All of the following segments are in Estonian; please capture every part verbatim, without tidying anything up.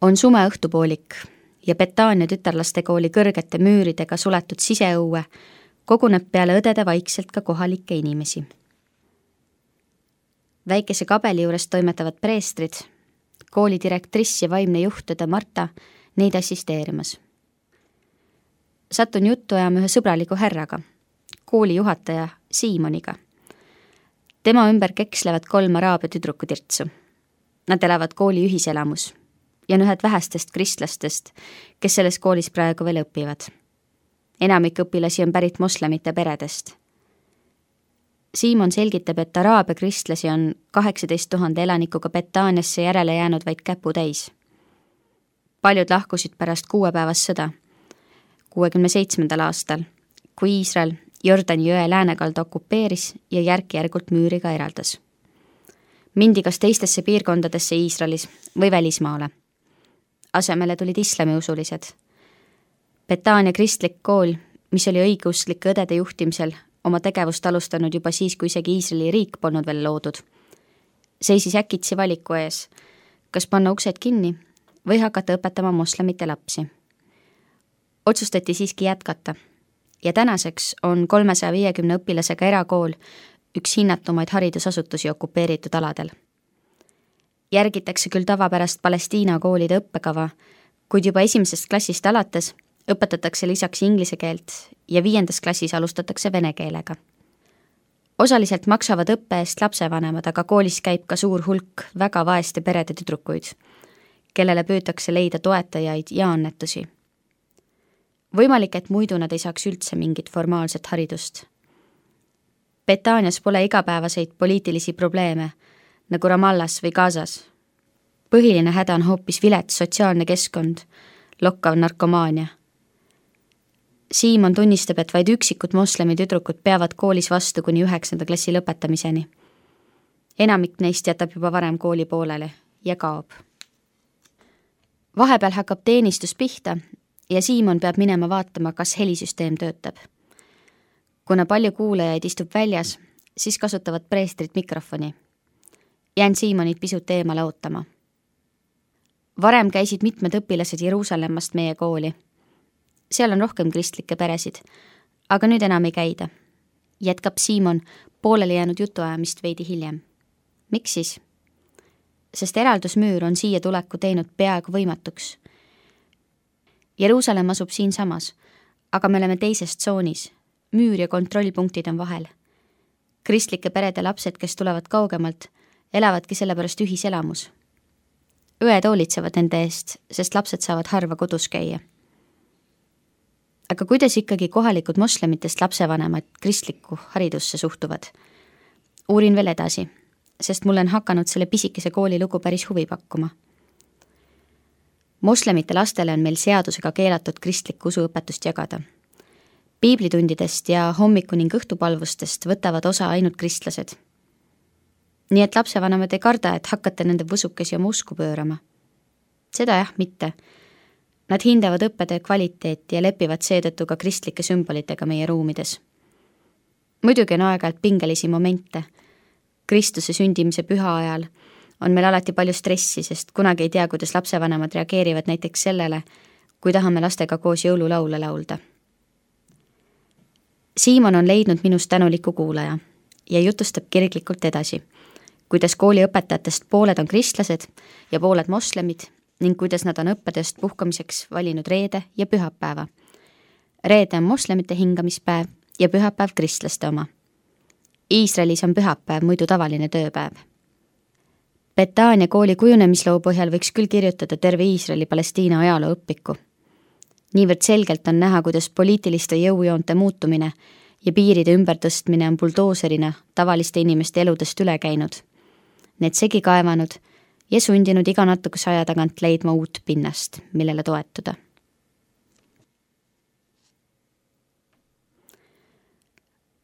On sume õhtupoolik ja Betania tütarlastekooli kõrgete müüridega suletud siseõue koguneb peale õdede vaikselt ka kohalikke inimesi. Väikese kabeli juures toimetavad preestrid, kooli direktriss ja vaimne juhtõde Marta neid assisteerimas. Satun juttu ajama ühe sõbraliku härraga, kooli juhataja Siimoniga. Tema ümber kekslevad kolm araabia tüdrukutirtsu. Nad elavad kooli ühiselamus ja on ühed vähestest kristlastest, kes selles koolis praegu veel õpivad. Enamik õpilasi on pärit moslemite peredest. Siimon selgitab, et araabia kristlasi on kaheksateist tuhande elanikuga Betaniasse järele jäänud vaid käpu täis. Paljud lahkusid pärast kuuepäevast sõda, kuuekümne seitsmendal aastal, kui Iisrael Jordani jõe läänekalda okupeeris ja järk-järgult müüriga eraldas. Mindi kas teistesse piirkondadesse Iisraelis või välismaale. Asemele tulid islamiusulised. Betania kristlik kool, mis oli õigeusklike õdede juhtimisel, oma tegevust alustanud juba siis, kui isegi Iisraeli riik polnud veel loodud. Seisis äkitsi valiku ees, kas panna uksed kinni või hakata õpetama moslemite lapsi. Otsustati siiski jätkata ja tänaseks on kolmesaja viiekümne õpilasega erakool üks hinnatumaid haridusasutusi okupeeritud aladel. Järgitakse küll tavapärast Palestiina koolide õppekava, kuid juba esimesest klassist alates õpetatakse lisaks inglise keelt ja viiendas klassis alustatakse vene keelega. Osaliselt maksavad õppe eest lapsevanemad, aga koolis käib ka suur hulk väga vaeste perede tüdrukuid, kellele püütakse leida toetajaid ja annetusi. Võimalik, et muidu nad ei saaks üldse mingit formaalset haridust. Betanias pole igapäevaseid poliitilisi probleeme, nagu Ramallas või Gazas. Põhiline häda on hoopis vilets sotsiaalne keskkond, lokkav narkomaania. Siimon tunnistab, et vaid üksikud moslemi tüdrukud peavad koolis vastu kuni üheksanda klassi lõpetamiseni. Enamik neist jätab juba varem kooli poolele ja kaob. Vahepeal hakkab teenistus pihta ja Siimon peab minema vaatama, kas helisüsteem töötab. Kuna palju kuulajaid istub väljas, siis kasutavad preestrid mikrofoni. Jään Siimonit pisut eemale ootama. Varem käisid mitmed õpilased Jeruusalemmast meie kooli. Seal on rohkem kristlikke peresid, aga nüüd enam ei käida. Jätkab Siimon pooleli jäänud jutuajamist veidi hiljem. Miks siis? Sest eraldusmüür on siia tuleku teinud peaaegu võimatuks. Jeruusalemm asub siin samas, aga me oleme teises tsoonis. Müür ja kontrollpunktid on vahel. Kristlike perede lapsed, kes tulevad kaugemalt, elavadki sellepärast ühiselamus. Õed hoolitsevad nende eest, sest lapsed saavad harva kodus käia. Aga kuidas ikkagi kohalikud moslemitest lapsevanemad kristlikku haridusse suhtuvad? Uurin veel edasi, sest mul on hakanud selle pisikese kooli lugu päris huvi pakkuma. Moslemite lastele on meil seadusega keelatud kristlikku usuõpetust jagada. Piiblitundidest ja hommiku ning õhtupalvustest võtavad osa ainult kristlased. Nii et lapsevanemad ei karda, et hakkate nende võsukesi oma usku pöörama. Seda jah, mitte. Nad hindavad õppetöö kvaliteeti ja lepivad seetõttu ka kristlike sümbolitega meie ruumides. Muidugi on aeg-ajalt pingelisi momente. Kristuse sündimise püha ajal on meil alati palju stressi, sest kunagi ei tea, kuidas lapsevanemad reageerivad näiteks sellele, kui tahame lastega koos jõululaule laulda. Siimon on leidnud minust tänuliku kuulaja ja jutustab kirglikult edasi, kuidas kooli õpetajatest pooled on kristlased ja pooled moslemid ning kuidas nad on õppetööst puhkamiseks valinud reede ja pühapäeva. Reede on moslemite hingamispäev ja pühapäev kristlaste oma. Iisraelis on pühapäev muidu tavaline tööpäev. Betania kooli kujunemisloo põhjal võiks küll kirjutada terve Iisraeli Palestiina ajaloo õpiku. Niivõrd selgelt on näha, kuidas poliitiliste jõujoonte muutumine ja piiride ümbertõstmine on buldooserina tavaliste inimeste eludest üle käinud. Need segi kaevanud ja sundinud iga natukese aja tagant leidma uut pinnast, millele toetuda.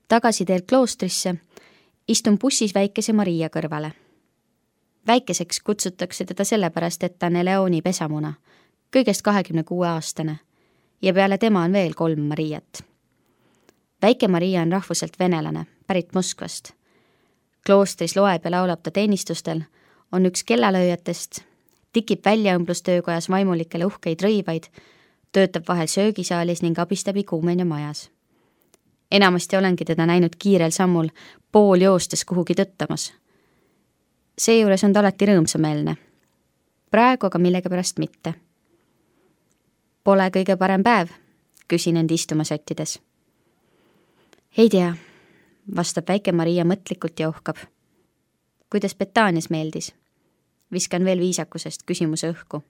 Tagasi teel kloostrisse istun bussis väikese Maria kõrvale. Väikeseks kutsutakse teda sellepärast, et ta on Eleoni pesamuna, kõigest kahekümne kuue aastane ja peale tema on veel kolm Mariat. Väike Maria on rahvuselt venelane, pärit Moskvast. Kloostris loeb ja laulab ta teenistustel, on üks kellalööjatest, tikib väljaõmblustöökojas vaimulikele uhkeid rõivaid, töötab vahel söögisaalis ning abistab ikuumenia majas. Enamasti olengi teda näinud kiirel sammul pool joostes kuhugi tõttamas. Seejuures on ta alati rõõmsameelne. Praegu aga millegipärast mitte. Pole kõige parem päev, küsin end istuma sättides. Ei tea, vastab väike Maria mõtlikult ja ohkab. Kuidas Betanias meeldis? Viskan veel viisakusest küsimuse õhku.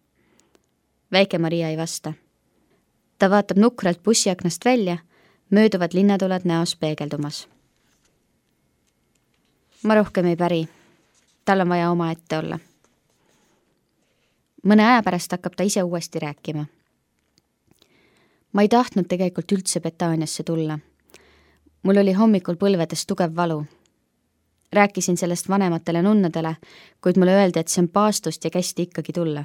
Väike Maria ei vasta. Ta vaatab nukralt bussiaknast välja, mööduvad linnatuled näos peegeldumas. Ma rohkem ei päri. Tal on vaja oma ette olla. Mõne aja pärast hakkab ta ise uuesti rääkima. Ma ei tahtnud tegelikult üldse Betaniasse tulla. Mul oli hommikul põlvedes tugev valu. Rääkisin sellest vanematele nunnadele, kuid mulle öeldi, et see on paastust ja kästi ikkagi tulla.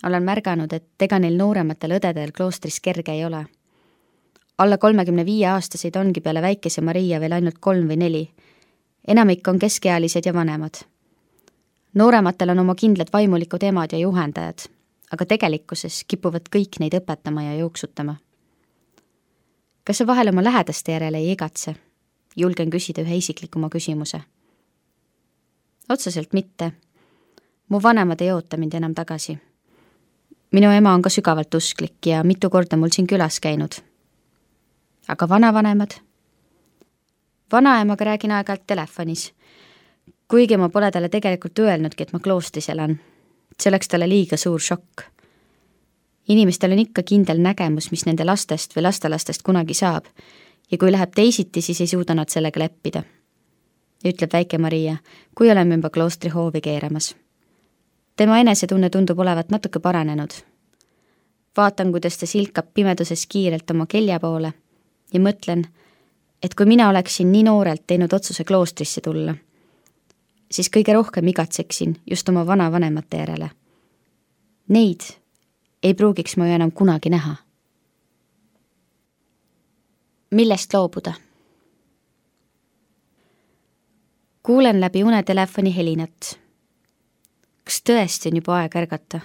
Olen märganud, et ega neil noorematel õdedel kloostris kerge ei ole. Alla kolmekümne viie aastaseid ongi peale väikese Maria veel ainult kolm või neli. Enamik on keskealised ja vanemad. Noorematel on oma kindlad vaimulikud emad ja juhendajad, aga tegelikkuses kipuvad kõik neid õpetama ja jooksutama. Kas sa vahel oma lähedaste järele ei igatse? Julgen küsida ühe isiklikuma küsimuse. Otseselt mitte. Mu vanemad ei oota mind enam tagasi. Minu ema on ka sügavalt usklik ja mitu korda mul siin külas käinud. Aga vanavanemad? Vanaemaga räägin aeg-ajalt telefonis. Kuigi ma pole talle tegelikult öelnudki, et ma kloostris elan. See oleks talle liiga suur šokk. Inimestel on ikka kindel nägemus, mis nende lastest või lastelastest kunagi saab, ja kui läheb teisiti, siis ei suuda nad sellega leppida. Ütleb väike Maria, kui oleme juba kloostri hoovi keeramas. Tema enesetunne tundub olevat natuke paranenud. Vaatan, kuidas ta silkab pimeduses kiirelt oma kelja poole ja mõtlen, et kui mina oleksin nii noorelt teinud otsuse kloostrisse tulla, siis kõige rohkem igatseksin just oma vanavanemate järele. Neid ei pruugiks ma ju enam kunagi näha. Millest loobuda? Kuulen läbi unetelefoni helinat. Kas tõesti on juba aeg ärgata?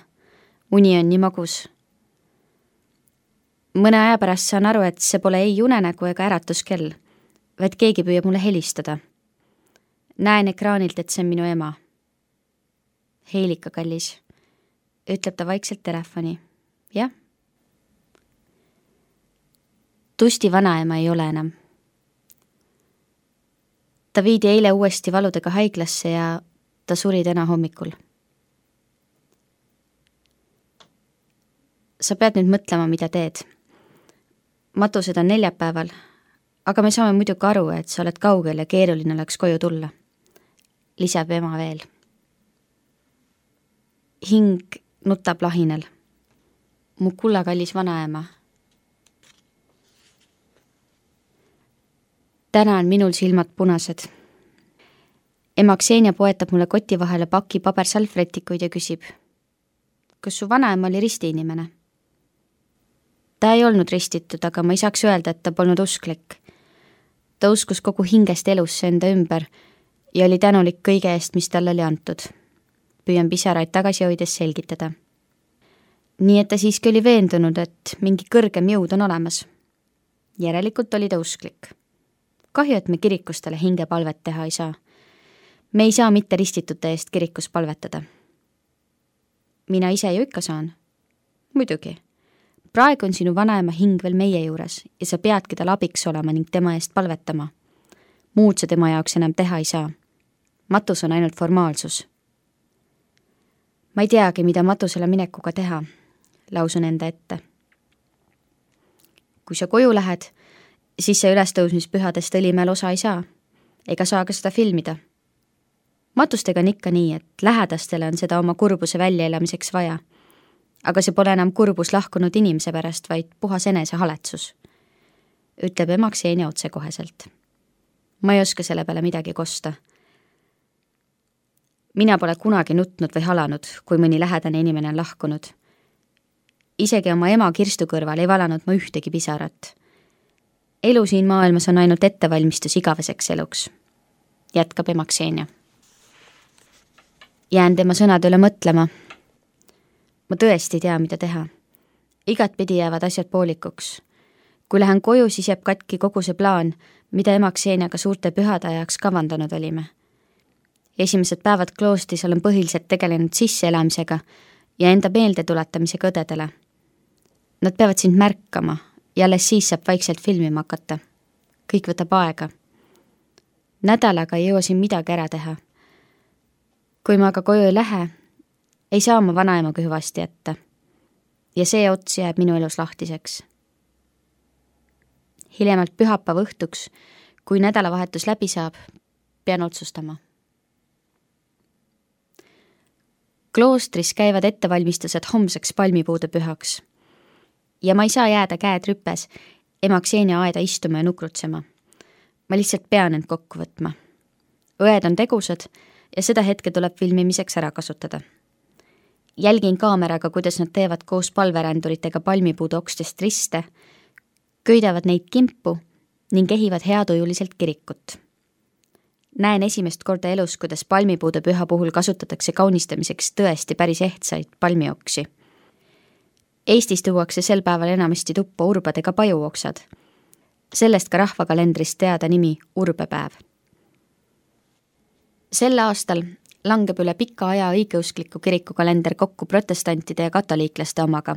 Uni on nii magus. Mõne aja pärast saan aru, et see pole ei unenägu ega äratuskell, vaid keegi püüab mulle helistada. Näen ekraanilt, et see on minu ema. Heilika, kallis, ütleb ta vaikselt telefoni. Jah? Tusti vanaema ei ole enam. Ta viidi eile uuesti valudega haiglasse ja ta suri täna hommikul. Sa pead nüüd mõtlema, mida teed. Matused on neljapäeval, aga me saame muidugi aru, et sa oled kaugel ja keeruline oleks koju tulla. Lisab ema veel. Hing nutab lahinel. Mu kullakallis vanaema. Täna on minul silmad punased. Ema Ksenia poetab mulle koti vahele paki pabersalvretikuid ja küsib, kas su vanaema oli ristiinimene? Ta ei olnud ristitud, aga ma ei saaks öelda, et ta polnud usklik. Ta uskus kogu hingest elusse enda ümber ja oli tänulik kõige eest, mis talle oli antud. Püüan pisaraid tagasi hoides selgitada. Nii et ta siiski oli veendunud, et mingi kõrgem jõud on olemas. Järelikult oli ta usklik. Kahju, et me kirikustele hingepalvet teha ei saa. Me ei saa mitte ristitute eest kirikus palvetada. Mina ise ju ikka saan. Muidugi. Praegu on sinu vanaema hing veel meie juures ja sa peadki tal abiks olema ning tema eest palvetama. Muud sa tema jaoks enam teha ei saa. Matus on ainult formaalsus. Ma ei teagi, mida matusele minekuga teha, lausun enda ette. Kui sa koju lähed, siis sa ülestõusmispühadest Õlimäel osa ei saa, ega saa ka seda filmida. Matustega on ikka nii, et lähedastele on seda oma kurbuse väljaelamiseks vaja. Aga see pole enam kurbus lahkunud inimese pärast, vaid puhas enese haletsus, ütleb ema Ksenia otsekoheselt. Ma ei oska selle peale midagi kosta. Mina pole kunagi nutnud või halanud, kui mõni lähedane inimene on lahkunud. Isegi oma ema Kirstu kõrval ei valanud ma ühtegi pisarat. Elu siin maailmas on ainult ettevalmistus igaveseks eluks, jätkab ema Ksenia. Jään tema sõnade üle mõtlema. Ma tõesti ei tea, mida teha. Igat pidi jäävad asjad poolikuks. Kui lähen koju, siis jääb katki kogu see plaan, mida Emakseniaga suurte pühade ajaks kavandanud olime. Esimesed päevad kloostris olen põhiliselt tegelenud sisseelamisega ja enda meelde tuletamisega õdedele. Nad peavad sind märkama ja alles siis saab vaikselt filmima hakata. Kõik võtab aega. Nädalaga ei jõua siin midagi ära teha. Kui ma aga koju ei lähe, ei saa ma vanaemaga hüvasti jätta. Ja see ots jääb minu elus lahtiseks. Hiljemalt pühapäeva õhtuks, kui nädalavahetus läbi saab, pean otsustama. Kloostris käivad ettevalmistused homseks palmipuude pühaks. Ja ma ei saa jääda käed rüpes Emaksenia aeda istuma ja nukrutsema. Ma lihtsalt pean end kokku võtma. Õed on tegusad ja seda hetke tuleb filmimiseks ära kasutada. Jälgin kaameraga, kuidas nad teevad koos palveränduritega palmipuude okstest riste, köidavad neid kimpu ning ehivad heatujuliselt kirikut. Näen esimest korda elus, kuidas palmipuude püha puhul kasutatakse kaunistamiseks tõesti päris ehtsaid palmioksi. Eestis tuuakse sel päeval enamasti tuppa urbadega pajuoksad. Sellest ka rahvakalendrist teada nimi urbepäev. Sel aastal langeb üle pika aja õigeuskliku kirikukalender kokku protestantide ja katoliiklaste omaga,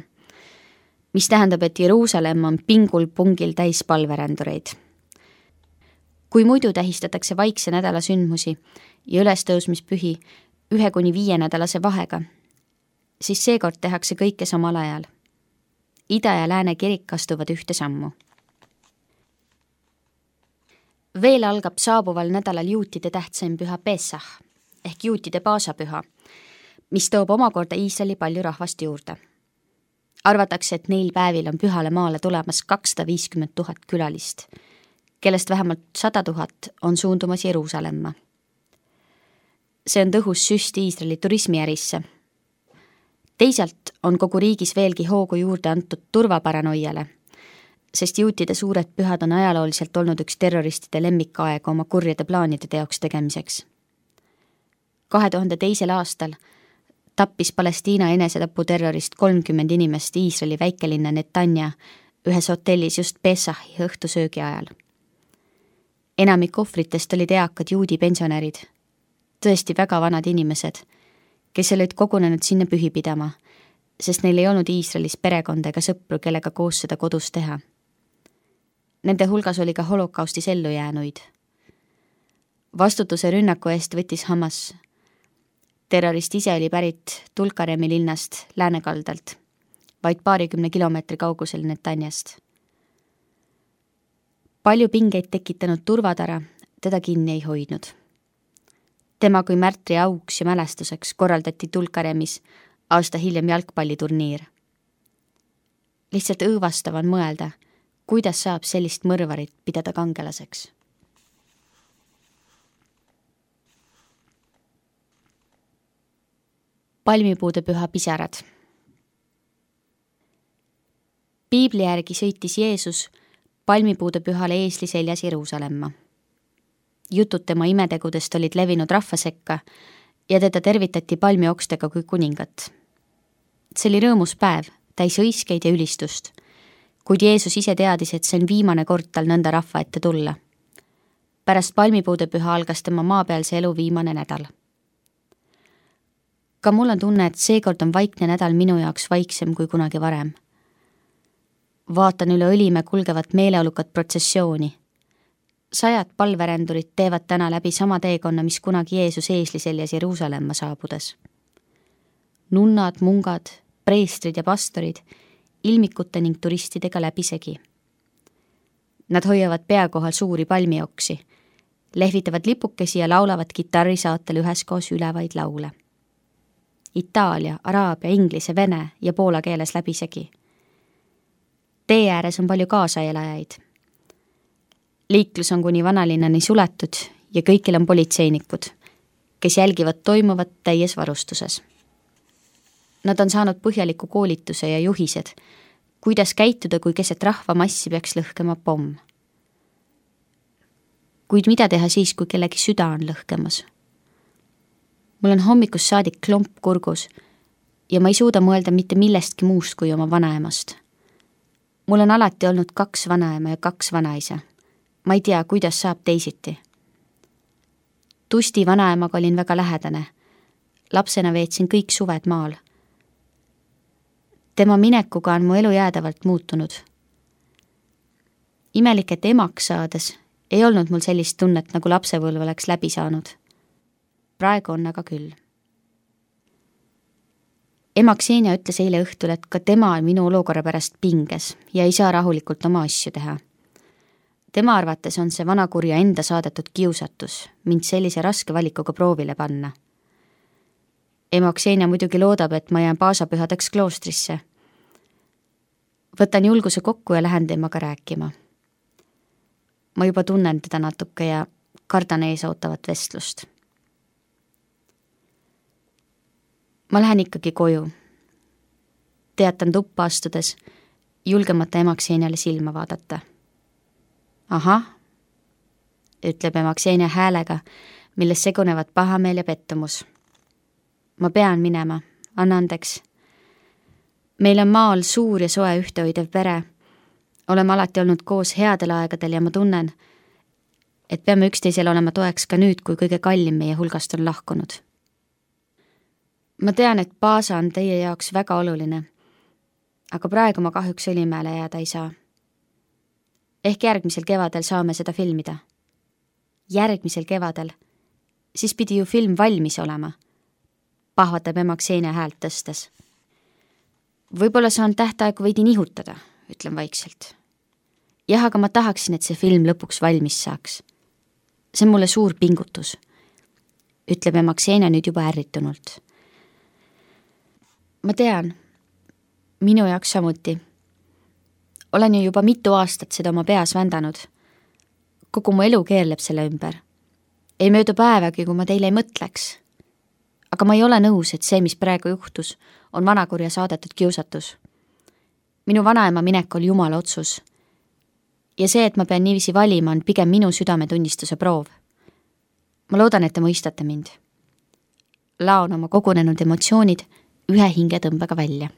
mis tähendab, et Jeruusalemm on pingul pungil täis palverändureid. Kui muidu tähistatakse vaikse nädala sündmusi ja ülestõusmispühi ühe kuni viie nädalase vahega, siis seekord tehakse kõike samal ajal. Ida ja lääne kirik astuvad ühte sammu. Veel algab saabuval nädalal juutide tähtsaim püha Pesach ehk juutide paasapüha, mis toob omakorda Iisraeli palju rahvast juurde. Arvatakse, et neil päevil on pühale maale tulemas kakssada viiskümmend tuhat külalist, kellest vähemalt sada tuhat on suundumas Jeruusalemma. See on tõhus süst Iisraeli turismiärisse. Teisalt on kogu riigis veelgi hoogu juurde antud turvaparanoiale, sest juutide suured pühad on ajalooliselt olnud üks terroristide lemmikaega oma kurjade plaanide teoks tegemiseks. kahe tuhande teisel aastal tappis Palestiina enesetaputerrorist kolmkümmend inimest Iisraeli väikelinna Netanja ühes hotellis just Pesahi õhtusöögi ajal. Enamik ohvritest olid eakad juudi pensionärid, tõesti väga vanad inimesed, kes olid kogunenud sinna pühi pidama, sest neil ei olnud Iisraelis perekonda ega sõpru, kellega koos seda kodus teha. Nende hulgas oli ka holokaustis ellu jäänuid. Vastutuse rünnaku eest võttis Hamas. Terrorist ise oli pärit Tulkaremi linnast läänekaldalt, vaid paarikümne kilomeetri kaugusel Netanjast. Palju pingeid tekitanud turvatara teda kinni ei hoidnud. Tema kui märtri auks ja mälestuseks korraldati Tulkaremis aasta hiljem jalgpalliturniir. Lihtsalt õõvastav on mõelda, kuidas saab sellist mõrvarit pidada kangelaseks. Palmipuude püha pisarad. Piibli järgi sõitis Jeesus palmipuude pühale eesli seljas Jeruusalemma. Jutud tema imetegudest olid levinud rahva sekka ja teda tervitati palmiokstega kui kuningat. See oli rõõmus päev, täis õiskeid ja ülistust, kuid Jeesus ise teadis, et see on viimane kord tal nõnda rahva ette tulla. Pärast palmipuude püha algas tema maapealse elu viimane nädal. Ka mul on tunne, et seekord on vaikne nädal minu jaoks vaiksem kui kunagi varem. Vaatan üle Õlimäe kulgevat meeleolukat protsessiooni. Sajad palverändurid teevad täna läbi sama teekonna, mis kunagi Jeesus eesli seljas Jeruusalemma saabudes. Nunnad, mungad, preestrid ja pastorid, ilmikute ning turistidega läbisegi. Nad hoiavad pea kohal suuri palmioksi, lehvitavad lipukesi ja laulavad kitarrisaatel üheskoos ülevaid laule. Itaalia, araabia, inglise, vene ja poola keeles läbisegi. Tee ääres on palju kaasaelajaid. Liiklus on kuni vanalinnani suletud ja kõikil on politseinikud, kes jälgivad toimuvat täies varustuses. Nad on saanud põhjaliku koolituse ja juhised, kuidas käituda, kui keset rahvamassi peaks lõhkema pomm. Kuid mida teha siis, kui kellegi süda on lõhkemas? mul on hommikust saadik klomp kurgus ja ma ei suuda mõelda mitte millestki muust kui oma vanaemast. Mul on alati olnud kaks vanaema ja kaks vanaisa. Ma ei tea, kuidas saab teisiti. Tusti vanaemaga olin väga lähedane. Lapsena veetsin kõik suved maal. Tema minekuga on mu elu jäädavalt muutunud. Imelik, et emaks saades ei olnud mul sellist tunnet, nagu lapsepõlv oleks läbi saanud. Praegu on aga küll. Ema Ksenia ütles eile õhtul, et ka tema on minu olukorra pärast pinges ja ei saa rahulikult oma asju teha. Tema arvates on see vanakurja enda saadetud kiusatus mind sellise raske valikuga proovile panna. Ema Ksenia muidugi loodab, et ma jään paasapühadeks kloostrisse. Võtan julguse kokku ja lähen temaga rääkima. Ma juba tunnen teda natuke ja kardan ees ootavat vestlust. Ma lähen ikkagi koju. Teatan tuppa astudes, julgemata ema Kseniale silma vaadata. Ahah, ütleb ema Ksenia häälega, milles segunevad pahameel ja pettumus. Ma pean minema, anna andeks. Meil on maal suur ja soe ühtehoidev pere. Oleme alati olnud koos headel aegadel ja ma tunnen, et peame üksteisel olema toeks ka nüüd, kui kõige kallim meie hulgast on lahkunud. Ma tean, et Paasa on teie jaoks väga oluline, aga praegu ma kahjuks Õlimäele jääda ei saa. Ehk järgmisel kevadel saame seda filmida. Järgmisel kevadel. Siis pidi ju film valmis olema. Pahvatab ema Ksenia häält tõstes. Võib-olla saan tähtaegu veidi nihutada, ütlen vaikselt. Jah, aga ma tahaksin, et see film lõpuks valmis saaks. See on mulle suur pingutus, ütleb ema Ksenia nüüd juba ärritunult. Ma tean, minu jaoks samuti. Olen ju juba mitu aastat seda oma peas vändanud. Kogu mu elu keerleb selle ümber. Ei möödu päevagi, kui ma teile ei mõtleks. Aga ma ei ole nõus, et see, mis praegu juhtus, on vanakurja saadetud kiusatus. Minu vanaema minek oli jumala otsus. Ja see, et ma pean niiviisi valima, on pigem minu südametunnistuse proov. Ma loodan, et te mõistate mind. Laon oma kogunenud emotsioonid ühe hingetõmbega välja.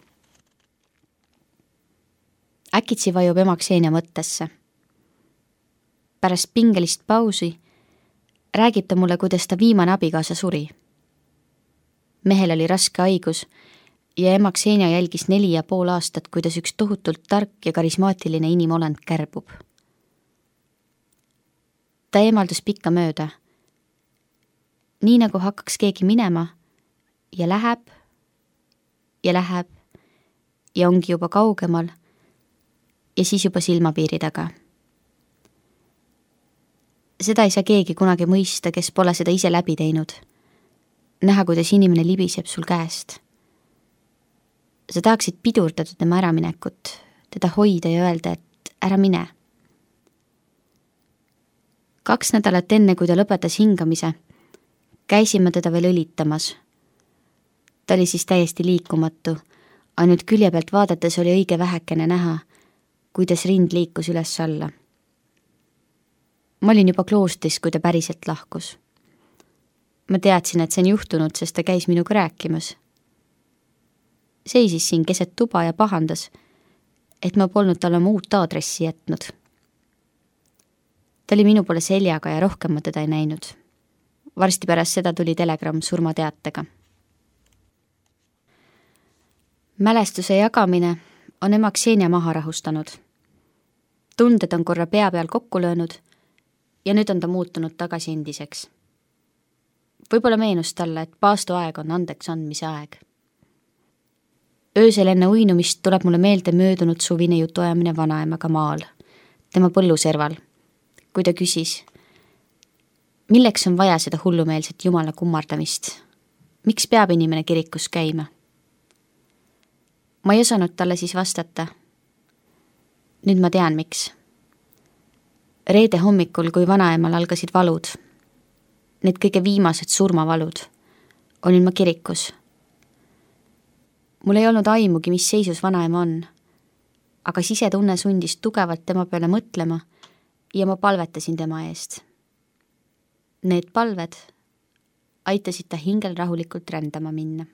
Äkitsi vajub ema Ksenia mõttesse. Pärast pingelist pausi räägib ta mulle, kuidas ta viimane abikaasa suri. Mehel oli raske haigus ja ema Ksenia jälgis neli ja pool aastat, kuidas üks tohutult tark ja karismaatiline inimolend kärbub. Ta eemaldus pikka mööda. Nii nagu hakkaks keegi minema ja läheb ja läheb ja ongi juba kaugemal ja siis juba silmapiiri taga. Seda ei saa keegi kunagi mõista, kes pole seda ise läbi teinud. Näha, kuidas inimene libiseb sul käest. Sa tahaksid pidurdada tema äraminekut, teda hoida ja öelda, et ära mine. Kaks nädalat enne, kui ta lõpetas hingamise, käisime teda veel õlitamas. Ta oli siis täiesti liikumatu, ainult külje pealt vaadates oli õige vähekene näha, kuidas rind liikus üles alla. Ma olin juba kloostris, kui ta päriselt lahkus. Ma teadsin, et see on juhtunud, sest ta käis minuga rääkimas. Seisis siin keset tuba ja pahandas, et ma polnud talle oma uut aadressi jätnud. Ta oli minu poole seljaga ja rohkem ma teda ei näinud. Varsti pärast seda tuli telegramm surmateatega. Mälestuse jagamine on ema Ksenia maha rahustanud. Tunded on korra pea peal kokku löönud ja nüüd on ta muutunud tagasi endiseks. Võib-olla meenus talle, et paastu aeg on andeks andmise aeg. Öösel enne uinumist tuleb mulle meelde möödunud suvine jutuajamine vanaemaga maal, tema põlluserval, kui ta küsis, milleks on vaja seda hullumeelset jumala kummardamist? Miks peab inimene kirikus käima? Ma ei osanud talle siis vastata. Nüüd ma tean, miks. Reede hommikul, kui vanaemal algasid valud, need kõige viimased surmavalud, olin ma kirikus. Mul ei olnud aimugi, mis seisus vanaema on, aga sisetunne sundis tugevalt tema peale mõtlema ja ma palvetasin tema eest. Need palved aitasid ta hingel rahulikult rändama minna.